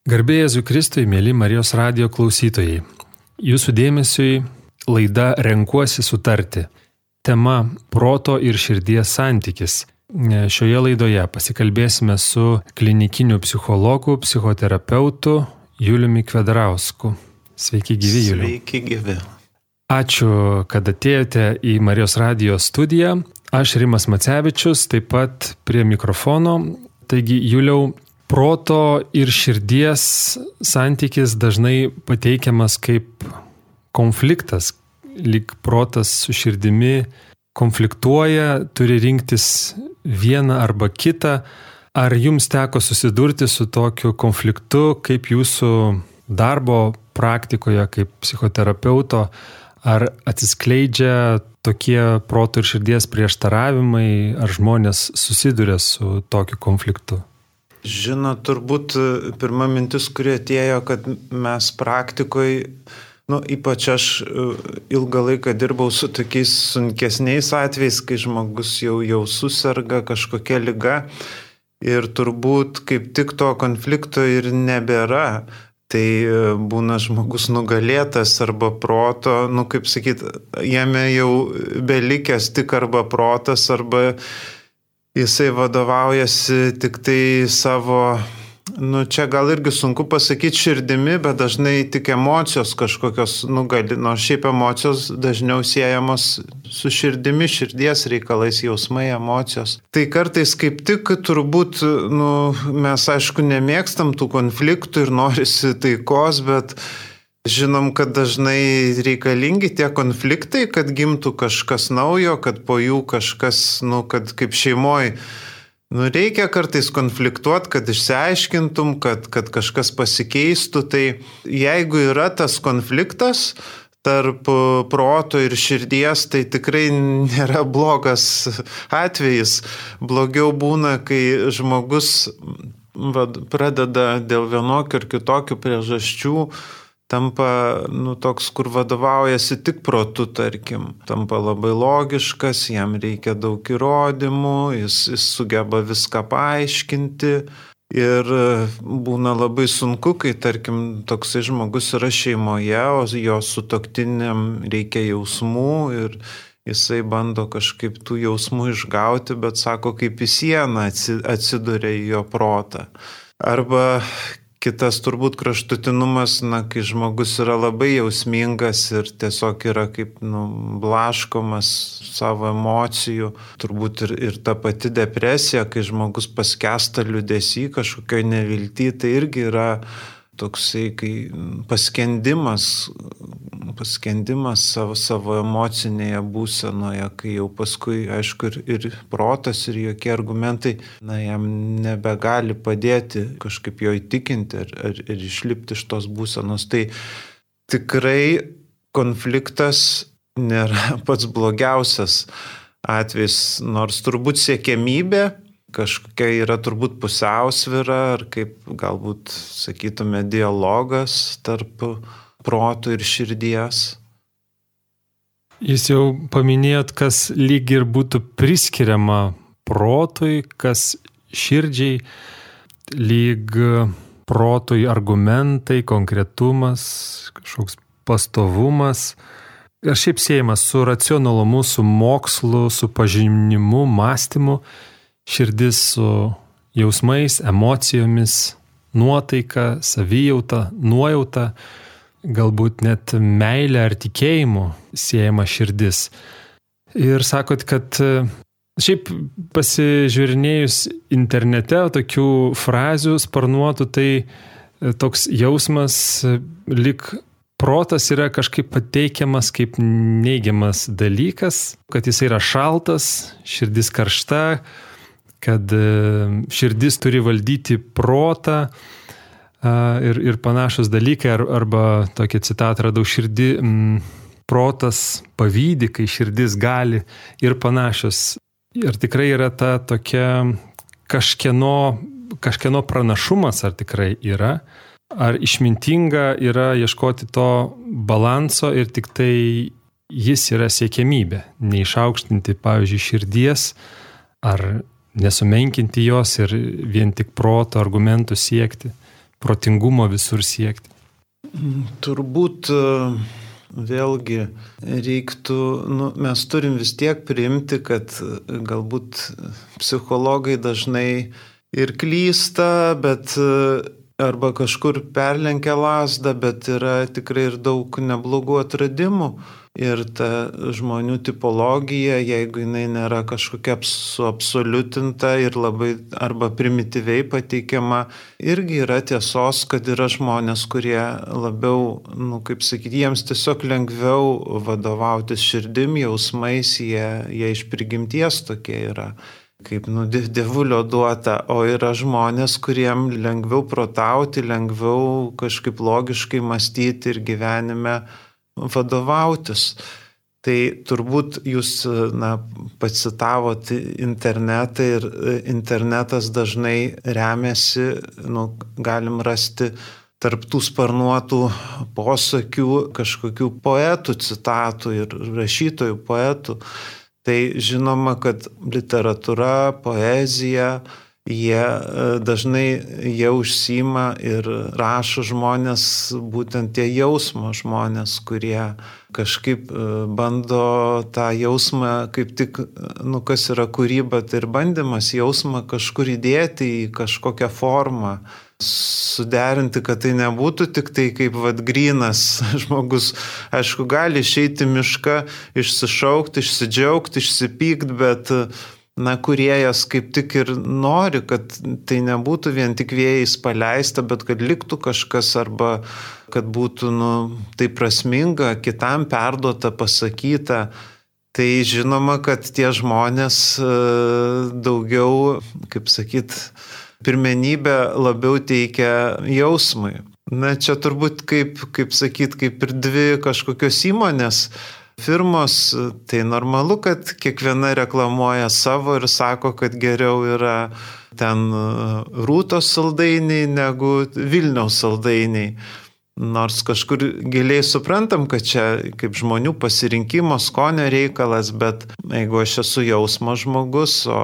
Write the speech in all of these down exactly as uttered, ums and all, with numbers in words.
Garbė Jėzui Kristui, mėly Marijos radijo klausytojai. Jūsų dėmesiui laida Renkuosi sutarti. Tema proto ir širdies santykis. Šioje laidoje pasikalbėsime su klinikiniu psichologu, psichoterapeutu Juliumi Kvedrausku. Sveiki gyvi, Juliau. Sveiki gyvi. Ačiū, kad atėjote į Marijos radijo studiją. Aš Rimas Macevičius, taip pat prie mikrofono. Taigi, Juliau, proto ir širdies santykis dažnai pateikiamas kaip konfliktas, lyg protas su širdimi konfliktuoja, turi rinktis vieną arba kitą. Ar jums teko susidurti su tokiu konfliktu, kaip jūsų darbo praktikoje, kaip psichoterapeuto, ar atsiskleidžia tokie proto ir širdies prieštaravimai, ar žmonės susiduria su tokiu konfliktu? Žinot, turbūt pirma mintis, kuri atėjo, kad mes praktikoje, nu, ypač aš ilgą laiką dirbau su tokiais sunkesniais atvejais, kai žmogus jau, jau susirga kažkokia liga ir turbūt kaip tik to konflikto ir nebėra. Tai būna žmogus nugalėtas arba proto, nu kaip sakyt, jame jau belikęs tik arba protas, arba jisai vadovaujasi tik tai savo, nu čia gal irgi sunku pasakyti širdimi, bet dažnai tik emocijos kažkokios nugali, nors šiaip emocijos dažniau siejamos su širdimi, širdies reikalais, jausmai, emocijos. Tai kartais kaip tik turbūt, nu, mes aišku nemėgstam tų konfliktų ir norisi taikos, bet žinom, kad dažnai reikalingi tie konfliktai, kad gimtų kažkas naujo, kad po jų kažkas, nu, kad kaip šeimoje, nu, reikia kartais konfliktuoti, kad išsiaiškintum, kad, kad kažkas pasikeistų. Tai jeigu yra tas konfliktas tarp proto ir širdies, tai tikrai nėra blogas atvejis. Blogiau būna, kai žmogus vad, pradeda dėl vienokių ar kitokių priežasčių tampa, nu, toks, kur vadovaujasi tik protu, tarkim. Tampa labai logiškas, jam reikia daug įrodymų, jis, jis sugeba viską paaiškinti. Ir būna labai sunku, kai, tarkim, toksai žmogus yra šeimoje, o jo sutuoktiniam reikia jausmų ir jisai bando kažkaip tų jausmų išgauti, bet sako, kaip į sieną atsiduria į jo protą. Arba kitas turbūt kraštutinumas, na, kai žmogus yra labai jausmingas ir tiesiog yra kaip, nu, blaškomas savo emocijų. Turbūt ir, ir ta pati depresija, kai žmogus paskęsta liūdesy, kažkokioj nevilty, tai irgi yra toksai, kai paskendimas, paskendimas savo, savo emocinėje būsenoje, kai jau paskui, aišku, ir, ir protas, ir jokie argumentai, na, jam nebegali padėti kažkaip jo įtikinti ir, ir, ir išlipti iš tos būsenos. Tai tikrai konfliktas nėra pats blogiausias atvejis, nors turbūt siekiamybė kažkokia yra turbūt pusiausvyra, ar kaip galbūt sakytume dialogas tarp proto ir širdies. Jūs jau paminėjot, kas lyg ir būtų priskiriama protui, kas širdžiai, lyg protui argumentai, konkretumas, kažkoks pastovumas. Ir šiaip siejamas su racionalumu, su mokslu, su pažinimu, mąstymu. Širdis su jausmais, emocijomis, nuotaika, savijauta, nuojauta, galbūt net meilė ar tikėjimu siejama širdis. Ir sakot, kad šiaip pasižiūrinėjus internete tokių frazių sparnuotų, tai toks jausmas, lyg protas yra kažkaip pateikiamas kaip neigiamas dalykas, kad jis yra šaltas, širdis karšta, kad širdis turi valdyti protą ir, ir panašus dalykai, arba tokią citatą radau, širdį, m, protas pavydi, kai širdis gali ir panašios. Ir tikrai yra ta tokia kažkieno, kažkieno pranašumas, ar tikrai yra, ar išmintinga yra ieškoti to balanso ir tik tai jis yra siekiamybė, neišaukštinti, pavyzdžiui, širdies, ar nesumenkinti jos ir vien tik proto argumentų siekti. protingumo visur siekti? Turbūt vėlgi reiktų, nu, mes turim vis tiek priimti, kad galbūt psichologai dažnai ir klysta, bet arba kažkur perlenkia lazdą, bet yra tikrai ir daug neblogų atradimų. Ir ta žmonių tipologija, jeigu jinai nėra kažkokia suabsoliutinta ir labai arba primityviai pateikiama, irgi yra tiesos, kad yra žmonės, kurie labiau, nu, kaip sakyti, jiems tiesiog lengviau vadovautis širdim, jausmais, jie, jie iš prigimties tokie yra, kaip nu, dievulio duota, o yra žmonės, kuriem lengviau protauti, lengviau kažkaip logiškai mąstyti ir gyvenime vadovautis. Tai turbūt jūs, na, pacitavot internetą ir internetas dažnai remiasi, nu, galim rasti tarp tų sparnuotų posakių kažkokių poetų citatų ir rašytojų poetų. Tai žinoma, kad literatūra, poezija, jie dažnai jie užsiima ir rašo žmonės, būtent tie jausmo žmonės, kurie kažkaip bando tą jausmą, kaip tik, nu, kas yra kūryba, tai ir bandymas jausmą kažkur įdėti į kažkokią formą, suderinti, kad tai nebūtų tik tai kaip vat grynas žmogus. Aišku, gali išeiti mišką, išsišaukti, išsidžiaugti, išsipykti, bet na, kūrėjas kaip tik ir nori, kad tai nebūtų vien tik vėjais paleista, bet kad liktų kažkas arba kad būtų, nu, tai prasminga, kitam perduota, pasakyta. Tai žinoma, kad tie žmonės daugiau, kaip sakyt, pirmenybę labiau teikia jausmui. Na, čia turbūt, kaip, kaip sakyt, kaip ir dvi kažkokios įmonės, firmos, tai normalu, kad kiekviena reklamuoja savo ir sako, kad geriau yra ten Rūtos saldainiai negu Vilniaus saldainiai. Nors kažkur giliai suprantam, kad čia kaip žmonių pasirinkimo, skonio reikalas, bet jeigu aš esu jausmo žmogus, o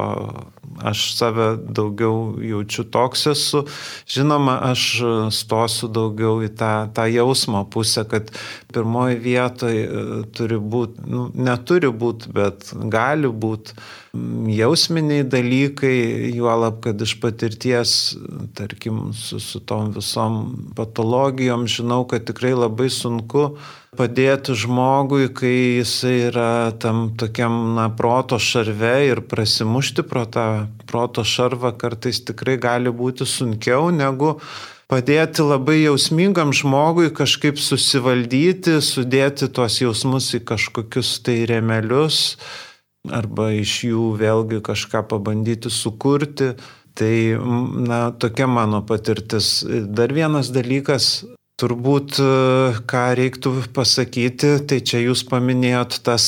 aš save daugiau jaučiu toks esu, žinoma, aš stosiu daugiau į tą, tą jausmo pusę, kad pirmoji vietoje turi būti, nu, neturi būti, bet gali būti jausminiai dalykai, juolab, kad iš patirties, tarkim, su, su tom visom patologijom, žinau, kad tikrai labai sunku padėti žmogui, kai jisai yra tam tokiam, na, proto šarve ir prasimušti pro tą proto šarvą kartais tikrai gali būti sunkiau negu padėti labai jausmingam žmogui kažkaip susivaldyti, sudėti tuos jausmus į kažkokius tai rėmelius arba iš jų vėlgi kažką pabandyti sukurti. Tai, na, tokia mano patirtis. Dar vienas dalykas, turbūt, ką reiktų pasakyti, tai čia jūs paminėjot tas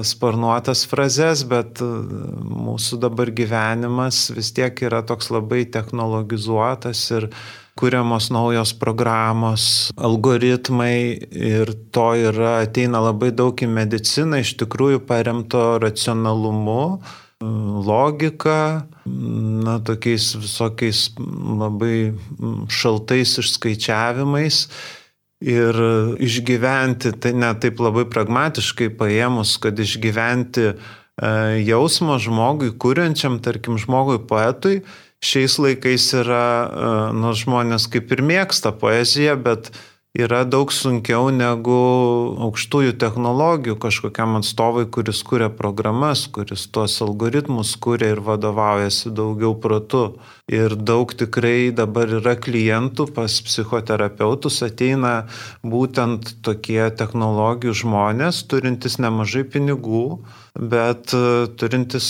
sparnuotas frazes, bet mūsų dabar gyvenimas vis tiek yra toks labai technologizuotas ir kuriamos naujos programos, algoritmai ir to yra, ateina labai daug į mediciną, iš tikrųjų paremto racionalumu, logika, na, tokiais visokiais labai šaltais išskaičiavimais ir išgyventi, tai ne taip labai pragmatiškai paėmus, kad išgyventi jausmo žmogui, kuriančiam, tarkim, žmogui poetui, šiais laikais yra, nu, žmonės kaip ir mėgsta poeziją, bet yra daug sunkiau negu aukštųjų technologijų kažkokiam atstovui, kuris kuria programas, kuris tuos algoritmus kuria ir vadovaujasi daugiau protu. Ir daug tikrai dabar yra klientų pas psichoterapeutus, ateina būtent tokie technologijų žmonės, turintys nemažai pinigų, bet turintis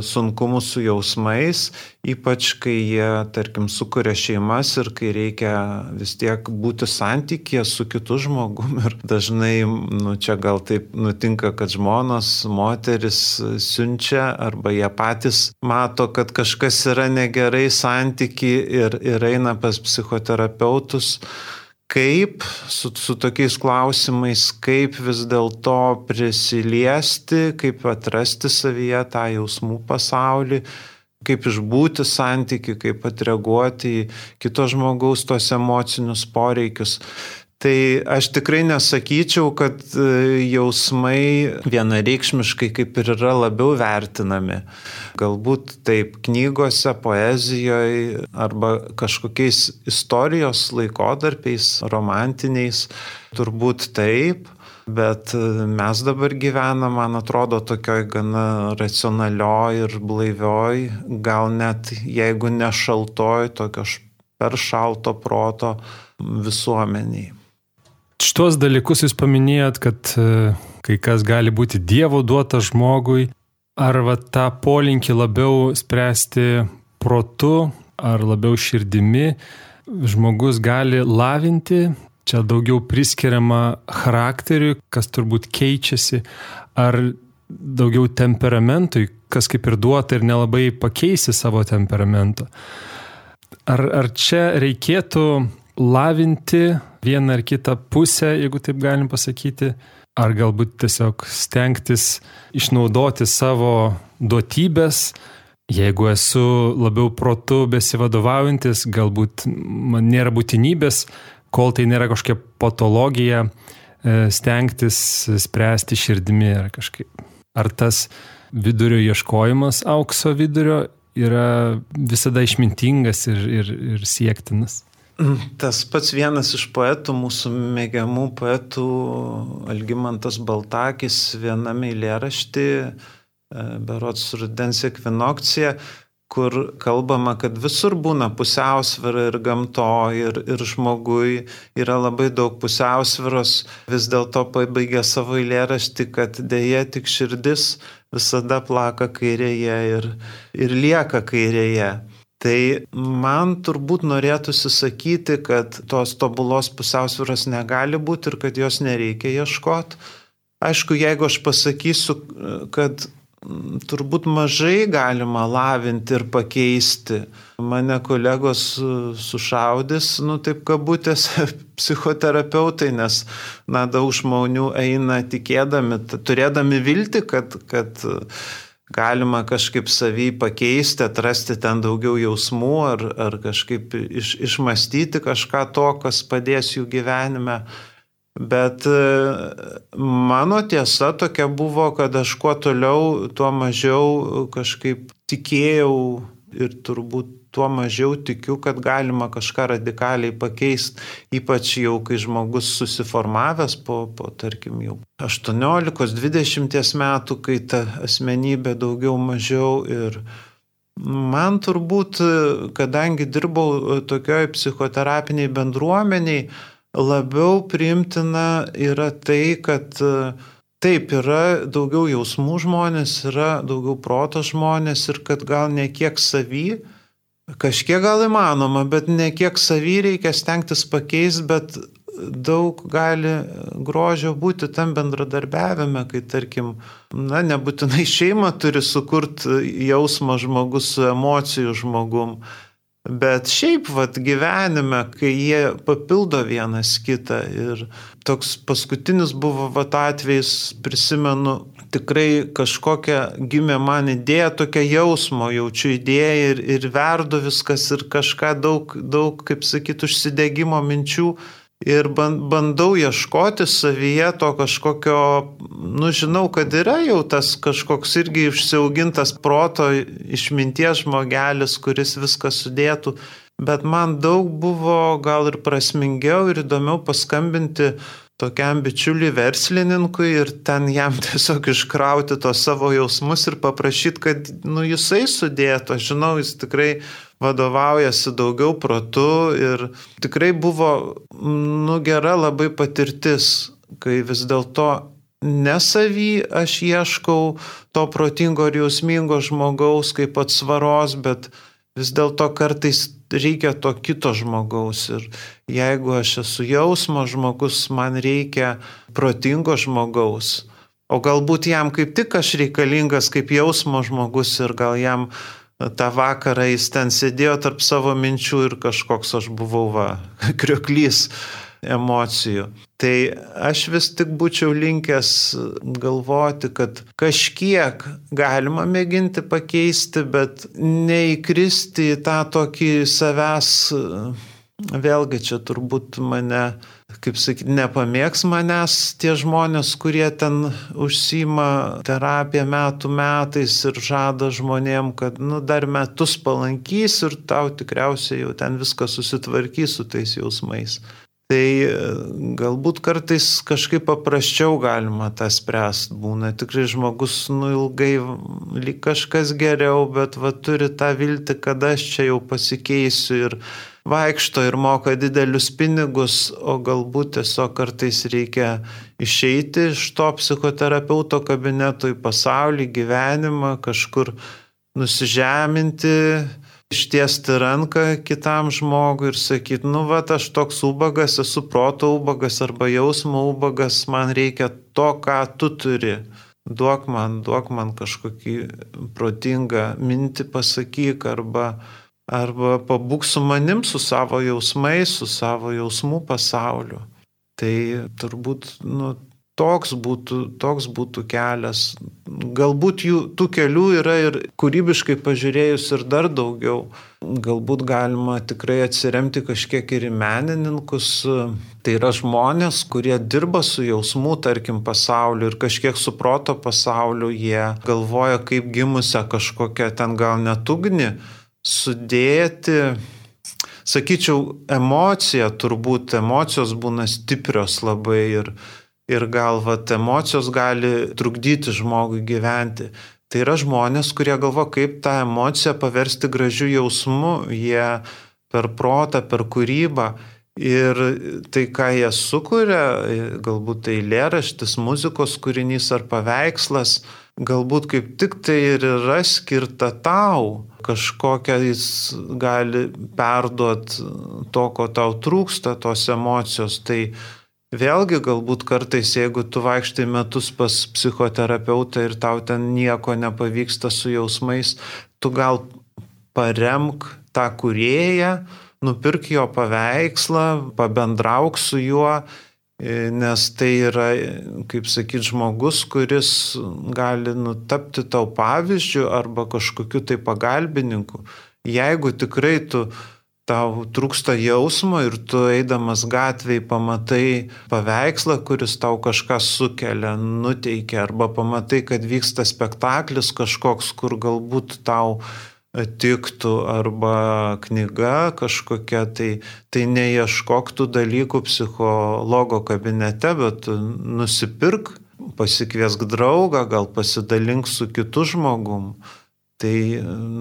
sunkumų su jausmais, ypač kai jie, tarkim, sukuria šeimas ir kai reikia vis tiek būti santykėje su kitu žmogum. Ir dažnai, nu, čia gal taip nutinka, kad žmonos, moteris siunčia arba jie patys mato, kad kažkas yra negerai santyki ir, ir eina pas psichoterapeutus. Kaip su, su tokiais klausimais, kaip vis dėlto prisiliesti, kaip atrasti savyje tą jausmų pasaulį, kaip išbūti santykių, kaip atreaguoti į kito žmogaus tos emocinius poreikius. Tai aš tikrai nesakyčiau, kad jausmai vienareikšmiškai kaip ir yra labiau vertinami. Galbūt taip knygose, poezijoje arba kažkokiais istorijos laikotarpiais, romantiniais, turbūt taip. Bet mes dabar gyvename, man atrodo, tokioj gana racionalioj ir blaivioj, gal net jeigu ne šaltoj, tokio per šalto proto visuomeniai. Šitos dalykus jūs paminėjot, kad kai kas gali būti Dievo duota žmogui, ar va tą polinkį labiau spręsti protu, ar labiau širdimi, žmogus gali lavinti, čia daugiau priskiriama charakteriui, kas turbūt keičiasi, ar daugiau temperamentui, kas kaip ir duota ir nelabai pakeisi savo temperamento. Ar, ar čia reikėtų lavinti vieną ar kitą pusę, jeigu taip galim pasakyti, ar galbūt tiesiog stengtis išnaudoti savo duotybės. Jeigu esu labiau protu besivadovaujantis, galbūt man nėra būtinybės, kol tai nėra kažkokia patologija, stengtis spręsti širdimi ar kažkaip. Ar tas vidurio ieškojimas, aukso vidurio, yra visada išmintingas ir, ir, ir siektinas? Tas pats vienas iš poetų, mūsų mėgiamų poetų, Algimantas Baltakis, viename eilėrašty, berods Rudens ekvinokcija, kur kalbama, kad visur būna pusiausvyra ir gamtoj, ir, ir žmogui yra labai daug pusiausvyros, vis dėlto pabaigė savo eilėraštį, kad dėja tik širdis visada plaka kairėje ir, ir lieka kairėje. Tai man turbūt norėtųsi sakyti, kad tos tobulos pusiausvyros negali būti ir kad jos nereikia ieškoti. Aišku, jeigu aš pasakysiu, kad turbūt mažai galima lavinti ir pakeisti, mane kolegos sušaudys, nu taip kabutės psichoterapeutai, nes na, daug žmonių eina tikėdami, turėdami viltį, kad, kad galima kažkaip savį pakeisti, atrasti ten daugiau jausmų ar, ar kažkaip iš, išmastyti kažką to, kas padės jų gyvenime. Bet mano tiesa tokia buvo, kad aš kuo toliau, tuo mažiau kažkaip tikėjau ir turbūt tuo mažiau tikiu, kad galima kažką radikaliai pakeisti, ypač jau kai žmogus susiformavęs po, po tarkim, jau aštuoniolikos dvidešimt metų, kai ta asmenybė daugiau mažiau. Ir man turbūt, kadangi dirbau tokioj psichoterapiniai bendruomeniai, labiau priimtina yra tai, kad taip yra daugiau jausmų žmonės, yra daugiau proto žmonės ir kad gal ne kiek savy, kažkiek gal įmanoma, bet ne kiek savy reikia stengtis pakeisti, bet daug gali grožio būti tam bendradarbiavime, kai tarkim, na, nebūtinai šeima turi sukurti jausmą žmogus su emocijų žmogum, bet šiaip vat gyvenime, kai jie papildo vienas kitą. Ir toks paskutinis buvo vat atvejis, prisimenu, tikrai kažkokia gimė man idėja, tokia jausmo, jaučiu idėją ir, ir verdu viskas ir kažką daug, daug, kaip sakyt, užsidegimo minčių. Ir bandau ieškoti savyje to kažkokio, nu žinau, kad yra jau tas kažkoks irgi išsiaugintas proto išminties žmogelis, kuris viską sudėtų, bet man daug buvo gal ir prasmingiau ir įdomiau paskambinti tokiam bičiuliui verslininkui ir ten jam tiesiog iškrauti tos savo jausmus ir paprašyti, kad nu, jisai sudėtų. Aš žinau, jis tikrai vadovaujasi daugiau protu ir tikrai buvo nu, gera labai patirtis, kai vis dėlto ne savy aš ieškau to protingo ir jausmingo žmogaus kaip atsvaros, bet vis dėlto kartais reikia to kito žmogaus. Ir jeigu aš esu jausmo žmogus, man reikia protingo žmogaus. O galbūt jam kaip tik aš reikalingas kaip jausmo žmogus ir gal jam tą vakarą jis ten sėdėjo tarp savo minčių ir kažkoks aš buvau va, krioklys. emocijų. Tai aš vis tik būčiau linkęs galvoti, kad kažkiek galima mėginti pakeisti, bet neįkristi į tą tokį savęs, vėlgi čia turbūt mane, kaip sakyti, nepamėgs manęs tie žmonės, kurie ten užsiima terapiją metų metais ir žada žmonėm, kad nu, dar metus palankys ir tau tikriausiai jau ten viskas susitvarkys su tais jausmais. Tai galbūt kartais kažkaip paprasčiau galima tą spręsti. Būna tikrai žmogus nu, ilgai lyg kažkas geriau, bet va, turi tą viltį, kad aš čia jau pasikeisiu ir vaikšto ir moka didelius pinigus, o galbūt tiesiog kartais reikia išeiti iš to psichoterapeuto kabineto į pasaulį, gyvenimą, kažkur nusižeminti, ištiesti ranką kitam žmogui ir sakyti, nu va, aš toks ubagas, esu proto ubagas arba jausmo ubagas, man reikia to, ką tu turi. Duok man, duok man kažkokį protingą mintį pasakyk arba Arba pabūk su manim, su savo jausmais, su savo jausmų pasauliu. Tai turbūt nu, toks, būtų, toks būtų kelias. Galbūt jų, tų kelių yra ir kūrybiškai pažiūrėjus ir dar daugiau. Galbūt galima tikrai atsiremti kažkiek ir į menininkus. Tai yra žmonės, kurie dirba su jausmų, tarkim, pasauliu ir kažkiek su proto pasauliu. Jie galvoja, kaip gimusią kažkokią ten gal net ugnį sudėti, sakyčiau, emocija, turbūt emocijos būna stiprios labai ir, ir gal vat, emocijos gali trukdyti žmogui gyventi. Tai yra žmonės, kurie galvo, kaip tą emociją paversti gražiu jausmu, jie per protą, per kūrybą ir tai, ką jie sukuria, galbūt tai eilėraštis, muzikos kūrinys ar paveikslas, galbūt kaip tik tai ir yra skirta tau, kažkokią jis gali perduoti to, ko tau trūksta, tos emocijos. Tai vėlgi galbūt kartais, jeigu tu vaikštai metus pas psichoterapeutą ir tau ten nieko nepavyksta su jausmais, tu gal paremk tą kūrėją, nupirk jo paveikslą, pabendrauk su juo, nes tai yra, kaip sakyti, žmogus, kuris gali nutapti tau pavyzdžių arba kažkokiu tai pagalbininku. Jeigu tikrai tu, tau trūksta jausmo ir tu eidamas gatvėje pamatai paveikslą, kuris tau kažką sukelia, nuteikia, arba pamatai, kad vyksta spektaklis kažkoks, kur galbūt tau tiktų arba knyga kažkokia, tai, tai neieškok tų dalykų psichologo kabinete, bet nusipirk, pasikviesk draugą, gal pasidalink su kitu žmogum. Tai,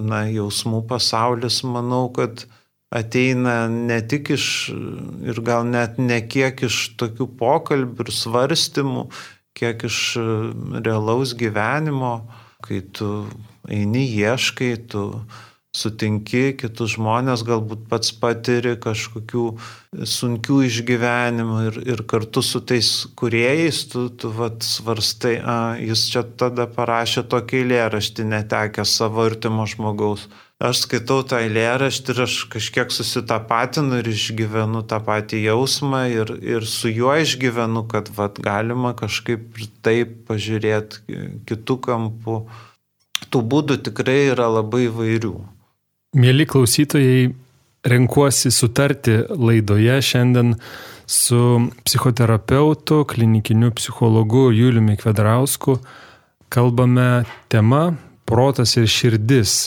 na, jausmų pasaulis, manau, kad ateina ne tik iš, ir gal net ne kiek iš tokių pokalbių ir svarstymų, kiek iš realaus gyvenimo, kai tu eini, ieškai, tu sutinki kitus žmonės, galbūt pats patiri kažkokių sunkių išgyvenimų ir, ir kartu su tais kūrėjais tu, tu vat, svarstai, a, jis čia tada parašė tokį eilėraštį netekęs savo artimo žmogaus. Aš skaitau tą eilėraštį ir aš kažkiek susitapatinu ir išgyvenu tą patį jausmą ir, ir su juo išgyvenu, kad vat, galima kažkaip taip pažiūrėti kitų kampų. Tų būdų tikrai yra labai įvairių. Mieli klausytojai, renkuosi sutarti laidoje šiandien su psichoterapeutu, klinikiniu psichologu Juliumi Kvedrausku. Kalbame tema protas ir širdis.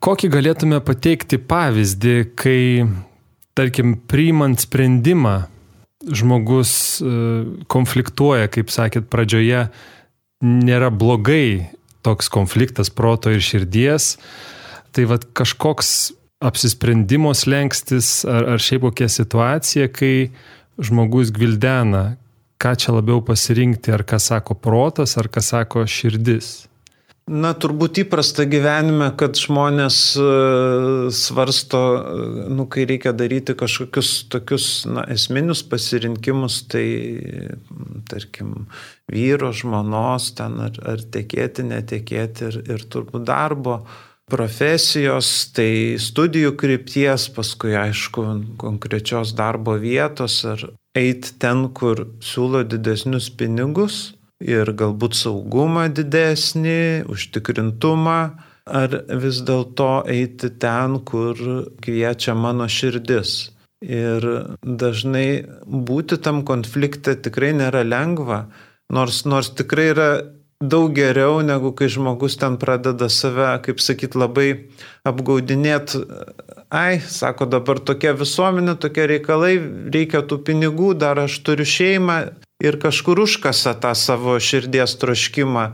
Kokį galėtume pateikti pavyzdį, kai, tarkim, priimant sprendimą, žmogus konfliktuoja, kaip sakėt pradžioje, nėra blogai toks konfliktas proto ir širdies, tai vat kažkoks apsisprendimo slengstis ar, ar šiaip kokia situacija, kai žmogus gvildena, ką čia labiau pasirinkti, ar ką sako protas, ar ką sako širdis. Na, turbūt įprasta gyvenime, kad žmonės svarsto, nu, kai reikia daryti kažkokius tokius na, esminius pasirinkimus, tai, tarkim, vyro, žmonos, ten ar, ar tekėti, netekėti ir, ir turbūt darbo profesijos, tai studijų krypties, paskui aišku konkrečios darbo vietos ar eiti ten, kur siūlo didesnius pinigus ir galbūt saugumą didesnį, užtikrintumą, ar vis dėlto eiti ten, kur kviečia mano širdis. Ir dažnai būti tam konflikte tikrai nėra lengva, nors, nors tikrai yra daug geriau, negu kai žmogus ten pradeda save, kaip sakyt, labai apgaudinėti. Ai, sako, dabar tokia visuomenė, tokie reikalai, reikia tų pinigų, dar aš turiu šeimą ir kažkur užkasa tą savo širdies troškimą,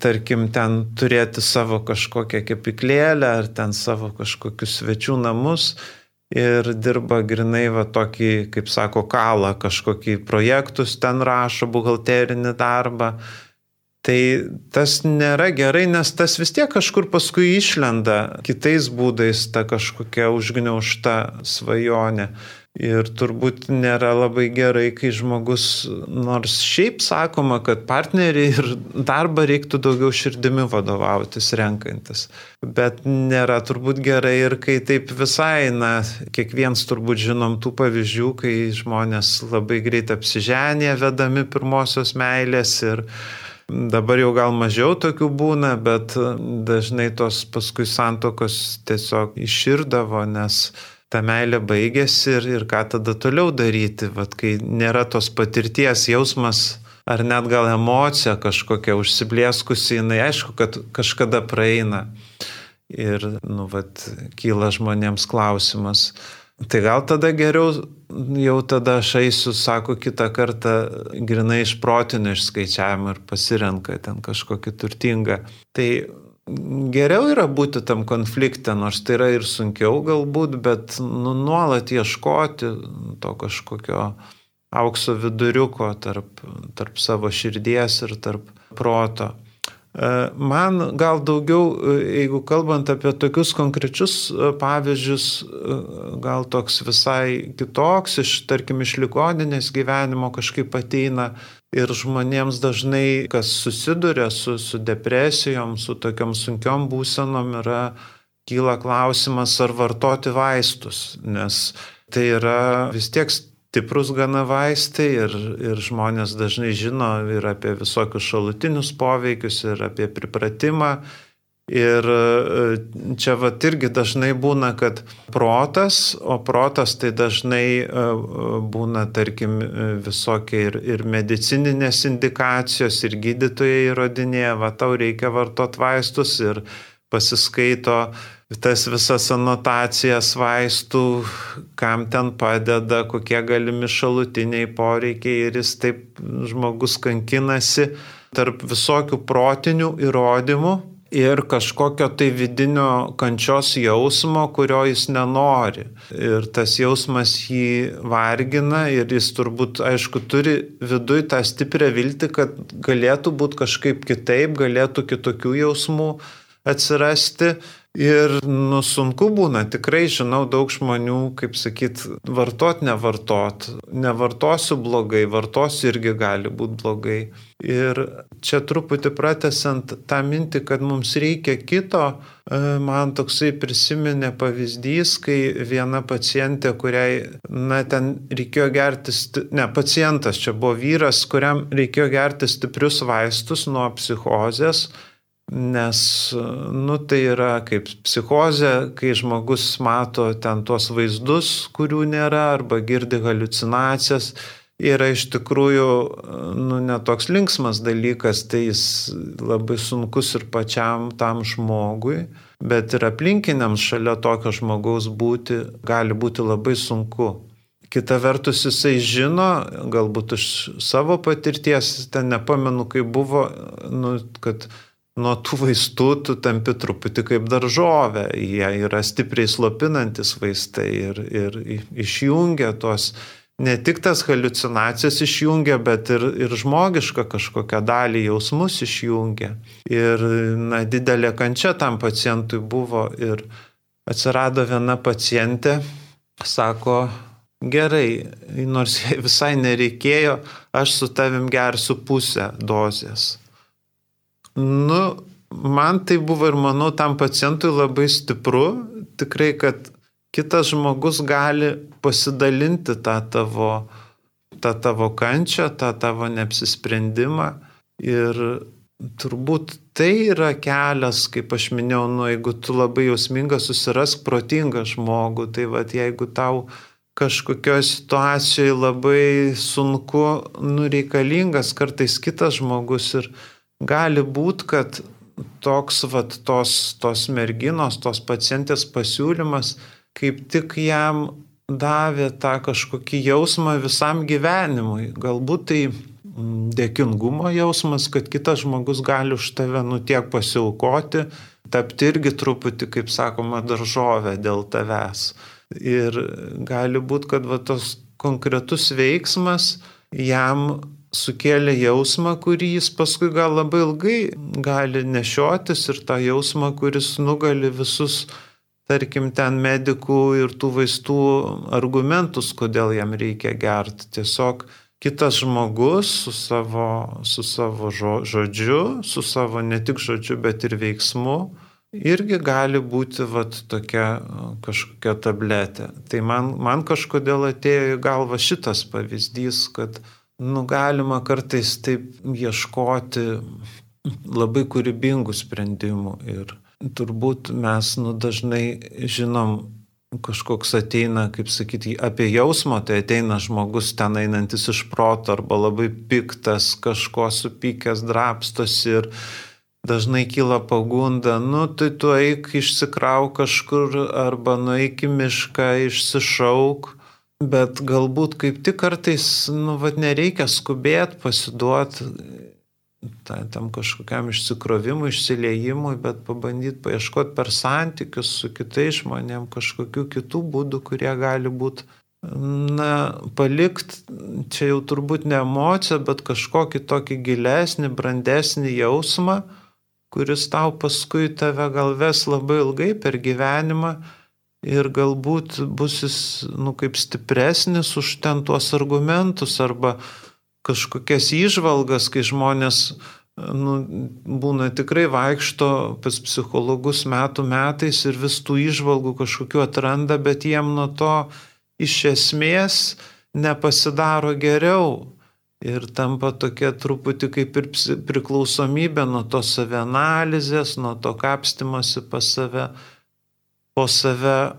tarkim, ten turėti savo kažkokią kepyklėlę ar ten savo kažkokius svečių namus ir dirba grinai va tokį, kaip sako, kalą, kažkokį projektus ten rašo, buhalterinį darbą. Tai tas nėra gerai, nes tas vis tiek kažkur paskui išlenda kitais būdais ta kažkokia užgniaužta svajonė. Ir turbūt nėra labai gerai, kai žmogus, nors šiaip sakoma, kad partneriai ir darbą reiktų daugiau širdimi vadovautis renkantis. Bet nėra turbūt gerai ir kai taip visai, na, kiekvienas turbūt žinom tų pavyzdžių, kai žmonės labai greit apsiženė vedami pirmosios meilės ir dabar jau gal mažiau tokių būna, bet dažnai tos paskui santokos tiesiog iširdavo, nes ta meilė baigėsi ir, ir ką tada toliau daryti, vat, kai nėra tos patirties jausmas ar net gal emocija kažkokia užsiblieskusi, jinai aišku, kad kažkada praeina ir nu, vat, kyla žmonėms klausimas. Tai gal tada geriau, jau tada aš eisiu, sako, kitą kartą grinai iš protinio išskaičiavimo ir pasirenka ten kažkokį turtingą. Tai geriau yra būti tam konflikte, nors tai yra ir sunkiau galbūt, bet nu, nuolat ieškoti to kažkokio aukso viduriuko tarp, tarp savo širdies ir tarp proto. Man gal daugiau, jeigu kalbant apie tokius konkrečius pavyzdžius, gal toks visai kitoks, iš, tarkim, iš ligoninės gyvenimo kažkaip ateina ir žmonėms dažnai, kas susiduria su, su depresijom, su tokiom sunkiom būsenom, yra, kyla klausimas, ar vartoti vaistus, nes tai yra vis tiek stiprus gana vaistai ir, ir žmonės dažnai žino ir apie visokius šalutinius poveikius, ir apie pripratimą. Ir čia vat irgi dažnai būna, kad protas, o protas tai dažnai būna, tarkim, visokie ir, ir medicininės indikacijos, ir gydytojai įrodinėja, va tau reikia vartot vaistus ir pasiskaito tas visas anotacijas vaistų, kam ten padeda, kokie galimi šalutiniai poreikiai ir jis taip žmogus kankinasi tarp visokių protinių įrodymų ir kažkokio tai vidinio kančios jausmo, kurio jis nenori. Ir tas jausmas jį vargina ir jis turbūt, aišku, turi viduj tą stiprią viltį, kad galėtų būti kažkaip kitaip, galėtų kitokių jausmų atsirasti. Ir nu, sunku būna, tikrai žinau daug žmonių, kaip sakyt, vartot, nevartot. Nevartosiu blogai, vartosiu irgi gali būti blogai. Ir čia truputį pratęsiant tą mintį, kad mums reikia kito, man toksai prisiminė pavyzdys, kai viena pacientė, kuriai, na, ten reikėjo gerti, ne, pacientas čia buvo vyras, kuriam reikėjo gerti stiprius vaistus nuo psichozės, nes, nu, tai yra kaip psichozė, kai žmogus mato ten tuos vaizdus, kurių nėra, arba girdi haliucinacijas, yra iš tikrųjų, nu, netoks linksmas dalykas, tai jis labai sunkus ir pačiam tam žmogui, bet ir aplinkiniams šalia tokio žmogaus būti gali būti labai sunku. Kita vertus jisai žino, galbūt iš savo patirties, ten nepamenu, kaip buvo, nu, kad nuo tų vaistų tu tampi truputį kaip daržovė, jie yra stipriai slopinantis vaistai ir, ir išjungia tos, ne tik tas haliucinacijas išjungia, bet ir, ir žmogišką kažkokią dalį jausmus išjungia. Ir na, didelė kančia tam pacientui buvo ir atsirado viena pacientė, sako, gerai, nors visai nereikėjo, aš su tavim gersiu pusę dozės. Nu, man tai buvo ir manau tam pacientui labai stipru, tikrai, kad kitas žmogus gali pasidalinti tą tavo, tą tavo kančią, tą tavo neapsisprendimą. Ir turbūt tai yra kelias, kaip aš minėjau, nu, jeigu tu labai jausmingas, susirask protingą žmogų, tai vat, jeigu tau kažkokioje situacijoje labai sunku, nu, reikalingas kartais kitas žmogus ir gali būti, kad toks vat, tos, tos merginos, tos pacientės pasiūlymas kaip tik jam davė tą kažkokį jausmą visam gyvenimui. Galbūt tai dėkingumo jausmas, kad kitas žmogus gali už tave nu tiek pasiaukoti, tapti irgi truputį, kaip sakoma, daržovę dėl tavęs. Ir gali būti, kad va, tos konkretus veiksmas jam sukėlė jausmą, kurį jis paskui gal labai ilgai gali nešiotis ir tą jausmą, kuris nugali visus, tarkim, ten medikų ir tų vaistų argumentus, kodėl jam reikia gerti. Tiesiog kitas žmogus su savo, su savo žodžiu, su savo ne tik žodžiu, bet ir veiksmu, irgi gali būti vat, tokia kažkokia tabletė. Tai man, man kažkodėl atėjo į galvą šitas pavyzdys, kad nu, galima kartais taip ieškoti labai kūrybingų sprendimų ir turbūt mes nu, dažnai žinom, kažkoks ateina, kaip sakyti, apie jausmą, tai ateina žmogus ten einantis iš proto arba labai piktas, kažko supykęs, drapstos ir dažnai kyla pagunda, nu tai tu eik išsikrauk kažkur arba nueik į mišką, išsišauk, bet galbūt kaip tik kartais nu, vat, nereikia skubėti, pasiduoti tam kažkokiam išsikrovimui, išsiliejimui, bet pabandyti paieškoti per santykius su kitais žmonėm kažkokių kitų būdų, kurie gali būti, na, palikti, čia jau turbūt ne emocija, bet kažkokį tokį gilesnį, brandesnį jausmą, kuris tau paskui tave gal ves labai ilgai per gyvenimą ir galbūt bus jis, nu, kaip stipresnis už ten tuos argumentus arba kažkokias įžvalgas, kai žmonės nu, būna tikrai vaikšto pas psichologus metų metais ir vis tų įžvalgų kažkokių atranda, bet jiem nuo to iš esmės nepasidaro geriau ir tampa tokia truputį kaip ir priklausomybė nuo to savianalizės, nuo to kapstymosi pas save, po save.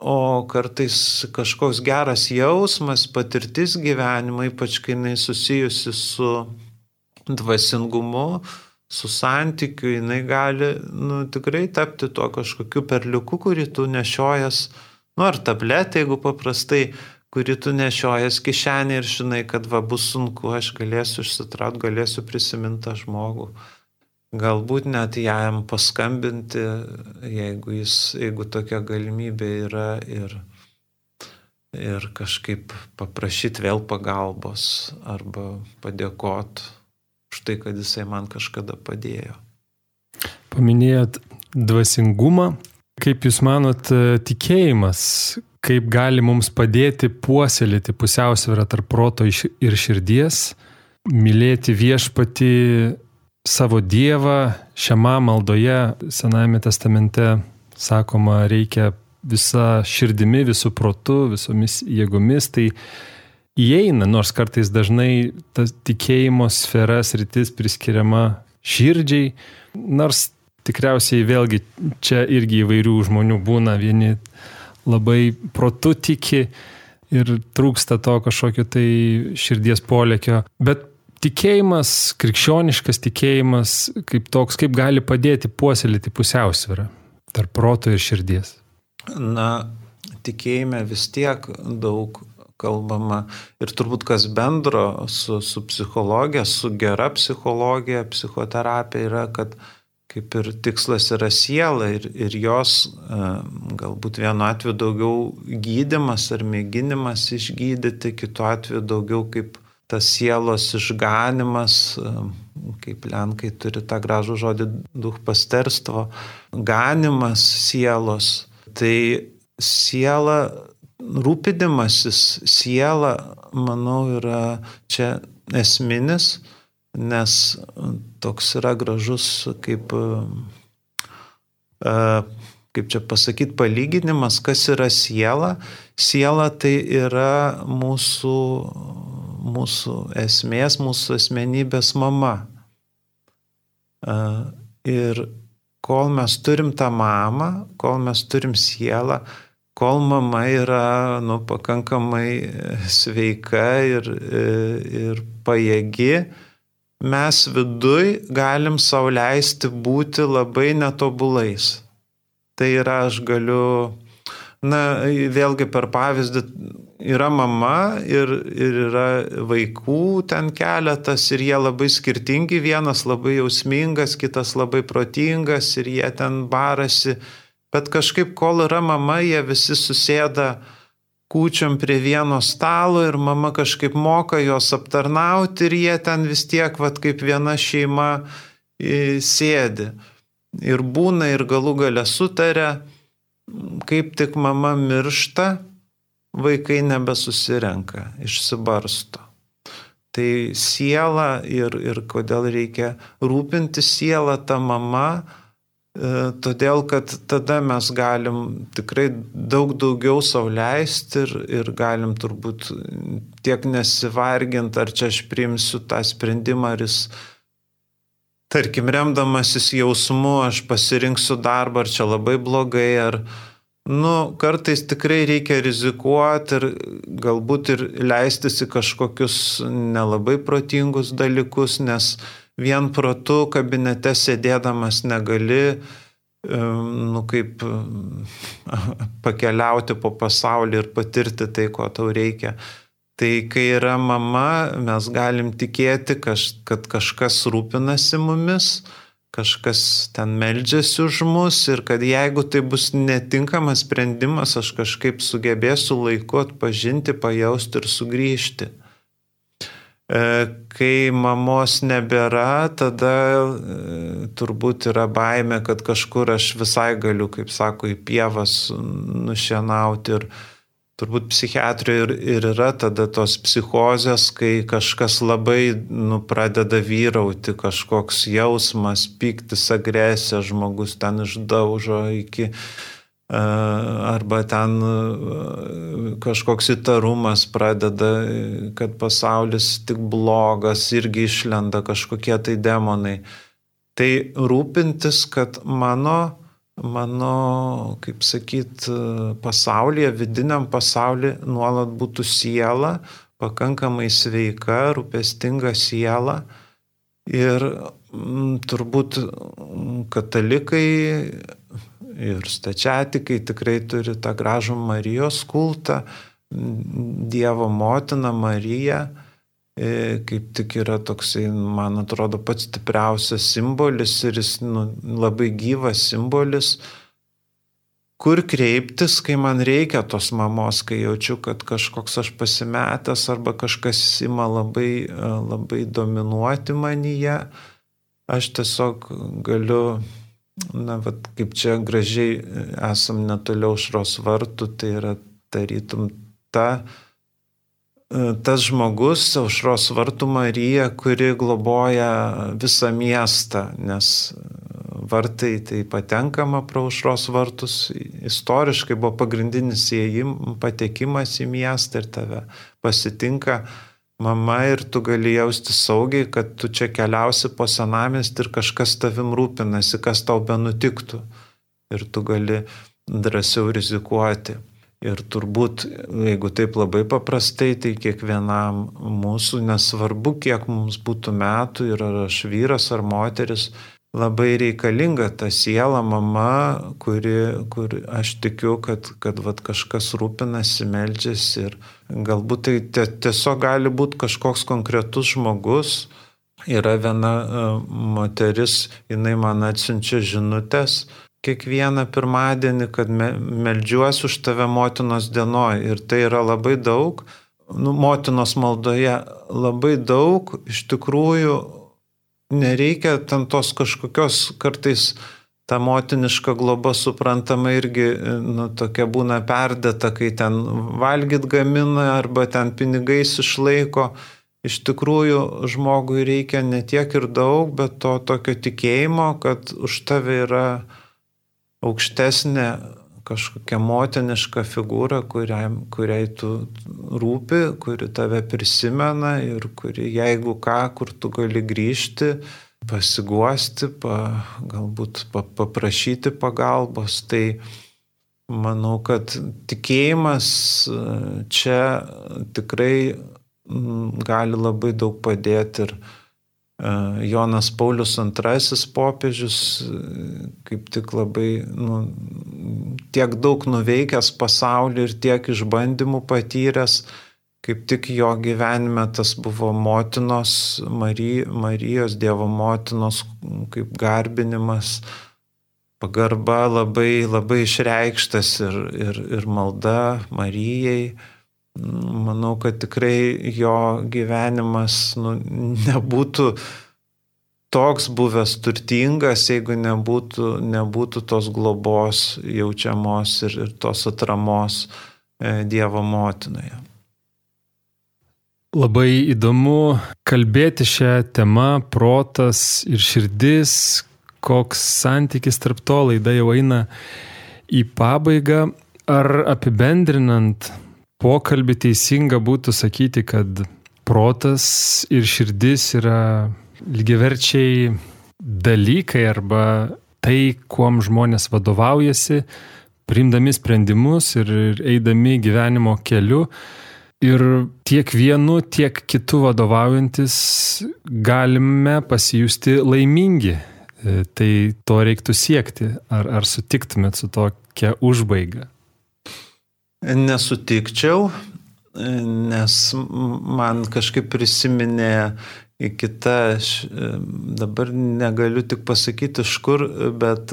O kartais kažkoks geras jausmas, patirtis gyvenimo, ypač kai jinai susijusi su dvasingumu, su santykiu, jinai gali nu, tikrai tapti tuo kažkokiu perliuku, kurį tu nešiojas, nu ar tabletė, jeigu paprastai, kurį tu nešiojas kišenį ir žinai, kad va bus sunku, aš galėsiu išsitraut, galėsiu prisiminti tą žmogų. Galbūt net jam paskambinti, jeigu, jis, jeigu tokia galimybė yra ir, ir kažkaip paprašyti vėl pagalbos arba padėkoti už tai, kad jisai man kažkada padėjo. Paminėjot dvasingumą. Kaip jūs manot, tikėjimas, kaip gali mums padėti puoselėti pusiausvyrą tarp proto ir širdies, mylėti viešpatį, savo Dievą, šiame maldoje Senajame testamente sakoma, reikia visa širdimi, visų protu, visomis jėgomis, tai įeina, nors kartais dažnai tas tikėjimo sfera sritis priskiriama širdžiai, nors tikriausiai vėlgi čia irgi įvairių žmonių būna, vieni labai protu tiki ir trūksta to kažkokio tai širdies polėkio, bet tikėjimas, krikščioniškas tikėjimas, kaip toks, kaip gali padėti puoselėti pusiausvyrą tarp proto ir širdies? Na, tikėjime vis tiek daug kalbama ir turbūt kas bendro su, su psichologija, su gera psichologija, psichoterapija yra, kad kaip ir tikslas yra siela ir, ir jos galbūt vienu atveju daugiau gydymas ar mėginimas išgydyti, kitu atveju daugiau kaip tas sielos išganimas, kaip lenkai turi tą gražų žodį duchpasterstvo, ganimas sielos. Tai siela, rūpinimasis siela, manau, yra čia esminis nes toks yra gražus, kaip, kaip čia pasakyti, palyginimas, kas yra siela. Siela tai yra mūsų, mūsų esmės, mūsų asmenybės mama. Ir kol mes turim tą mamą, kol mes turim sielą, kol mama yra nu, pakankamai sveika ir, ir pajėgi, mes viduj galim sau leisti būti labai netobulais. Tai yra, aš galiu, na, vėlgi per pavyzdį, yra mama ir, ir yra vaikų ten keletas ir jie labai skirtingi, vienas labai jausmingas, kitas labai protingas ir jie ten barasi. Bet kažkaip, kol yra mama, jie visi susėda kūčiom prie vieno stalo ir mama kažkaip moka juos aptarnauti ir jie ten vis tiek, vat, kaip viena šeima sėdi. Ir būna ir galų gale sutaria, kaip tik mama miršta, vaikai nebesusirenka, išsibarsto. Tai siela ir, ir kodėl reikia rūpinti sielą tą mamą, todėl, kad tada mes galim tikrai daug daugiau sau leisti ir, ir galim turbūt tiek nesivarginti, ar čia aš priimsiu tą sprendimą, ar jis, tarkim, remdamasis jausmu, aš pasirinksiu darbą, ar čia labai blogai, ar, nu, kartais tikrai reikia rizikuoti ir galbūt ir leistis į kažkokius nelabai protingus dalykus, nes vien protu kabinete sėdėdamas negali, nu, kaip pakeliauti po pasaulį ir patirti tai, ko tau reikia. Tai kai yra mama, mes galim tikėti, kad kažkas rūpinasi mumis, kažkas ten meldžiasi už mus ir kad jeigu tai bus netinkamas sprendimas, aš kažkaip sugebėsiu laiku atpažinti, pajausti ir sugrįžti. Kai mamos nebėra, tada turbūt yra baimė, kad kažkur aš visai galiu, kaip sako, į pievas nušienauti ir turbūt psichiatrijoje ir, ir yra tada tos psichozės, kai kažkas labai nu, pradeda vyrauti, kažkoks jausmas, pyktis, agresija, žmogus ten išdaužo iki arba ten kažkoks įtarumas pradeda, kad pasaulis tik blogas, irgi išlenda kažkokie tai demonai. Tai rūpintis, kad mano, mano, kaip sakyt, pasaulyje, vidiniam pasaulyje nuolat būtų siela, pakankamai sveika, rūpestinga siela. Ir m, turbūt katalikai ir stačiatikai tikrai turi tą gražų Marijos kultą, Dievo motina Marija, kaip tik yra toksai, man atrodo, pats stipriausias simbolis ir jis nu, labai gyvas simbolis, kur kreiptis, kai man reikia tos mamos, kai jaučiu, kad kažkoks aš pasimetęs arba kažkas ima labai, labai dominuoti manyje, aš tiesiog galiu, na, vat, kaip čia gražiai esam netoliau Aušros vartų, tai yra tarytum ta, tas žmogus, Aušros vartų Marija, kuri globoja visą miestą, nes vartai tai patenkama pro Aušros vartus, istoriškai buvo pagrindinis įėjim, patekimas į miestą ir tave pasitinka mama ir tu gali jausti saugiai, kad tu čia keliausi po senamiestį ir kažkas tavim rūpinasi, kas tau benutiktų. Ir tu gali drąsiau rizikuoti. Ir turbūt, jeigu taip labai paprastai, tai kiekvienam mūsų, nesvarbu, kiek mums būtų metų, ir ar aš vyras ar moteris, labai reikalinga ta siela, mama, kuri, kur aš tikiu, kad, kad vat, kažkas rūpinasi, meldžiasi ir galbūt tai tiesiog gali būti kažkoks konkretus žmogus. Yra viena moteris, jinai man atsiunčia žinutės kiekvieną pirmadienį, kad meldžiuosi už tave motinos dienoj ir tai yra labai daug, nu, motinos maldoje labai daug, iš tikrųjų nereikia ten tos kažkokios kartais ta motiniška globa suprantama irgi nu, tokia būna perdėta, kai ten valgyt gamina arba ten pinigais išlaiko. iš tikrųjų žmogui reikia ne tiek ir daug, bet to tokio tikėjimo, kad už tave yra aukštesnė kažkokia motiniška figūra, kuriai, kuriai tu rūpi, kuri tave prisimena ir kuri, jeigu ką, kur tu gali grįžti, pasiguosti, pa, galbūt pa, paprašyti pagalbos. Tai manau, kad tikėjimas čia tikrai gali labai daug padėti ir Jonas Paulius antrasis popiežius, kaip tik labai nu, tiek daug nuveikęs pasaulį ir tiek išbandymų patyręs, kaip tik jo gyvenime tas buvo motinos, Mary, Marijos, Dievo motinos kaip garbinimas, pagarba labai, labai išreikštas ir, ir, ir malda Marijai. Manau, kad tikrai jo gyvenimas nu, nebūtų toks buvęs turtingas, jeigu nebūtų, nebūtų tos globos jaučiamos ir, ir tos atramos Dievo motinoje. Labai įdomu kalbėti šią temą, protas ir širdis, koks santykis tarp to, laida jau eina į pabaigą. Ar apibendrinant pokalbį teisinga būtų sakyti, kad protas ir širdis yra lygiaverčiai dalykai arba tai, kuom žmonės vadovaujasi, priimdami sprendimus ir eidami gyvenimo keliu. Ir tiek vienu, tiek kitu vadovaujantis galime pasijusti laimingi. Tai to reiktų siekti. Ar, ar sutiktumėt su tokia užbaiga? Nesutikčiau, nes man kažkaip prisiminė kita, dabar negaliu tik pasakyti iš kur, bet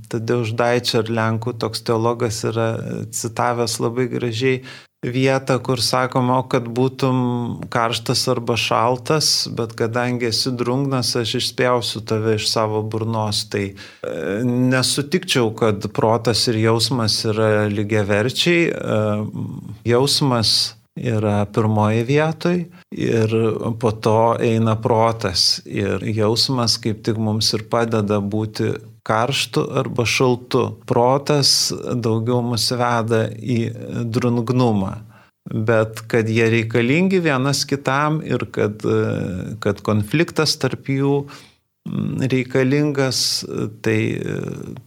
Tadeusz Deičer, Lenkų toks teologas, yra citavęs labai gražiai vietą, kur sakoma, kad būtum karštas arba šaltas, bet kadangi esi drungnas, aš išspjausiu tave iš savo burnos. Tai nesutikčiau, kad protas ir jausmas yra lygiaverčiai. Jausmas yra pirmoje vietoje ir po to eina protas. Ir jausmas kaip tik mums ir padeda būti karštu arba šaltu. Protas daugiau mus veda į drungnumą, bet kad jie reikalingi vienas kitam ir kad, kad konfliktas tarp jų reikalingas, tai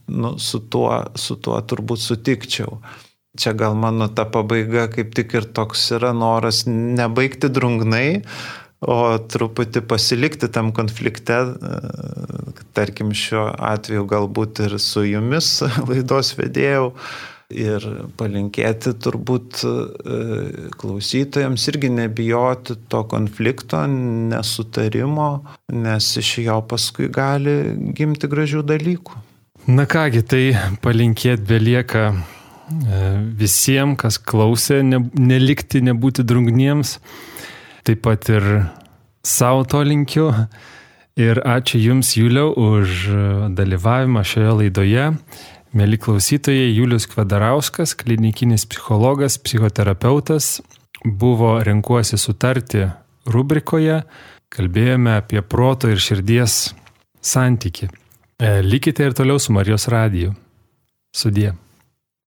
nu, su, tuo, su tuo turbūt sutikčiau. Čia gal mano ta pabaiga kaip tik ir toks yra noras nebaigti drungnai, o truputį pasilikti tam konflikte, tarkim šiuo atveju galbūt ir su jumis laidos vedėjau, ir palinkėti turbūt klausytojams irgi nebijoti to konflikto, nesutarimo, nes iš jo paskui gali gimti gražių dalykų. Na kągi, tai palinkėti belieka visiems, kas klausė, ne, nelikti, nebūti drungniems. Taip pat ir savo to linkiu. Ir ačiū Jums, Juliau, už dalyvavimą šioje laidoje. Mieli klausytojai, Julius Kvedarauskas, klinikinis psichologas, psichoterapeutas, buvo Renkuosi sutarti rubrikoje. Kalbėjome apie proto ir širdies santykį. Likite ir toliau su Marijos radiju. Sudie.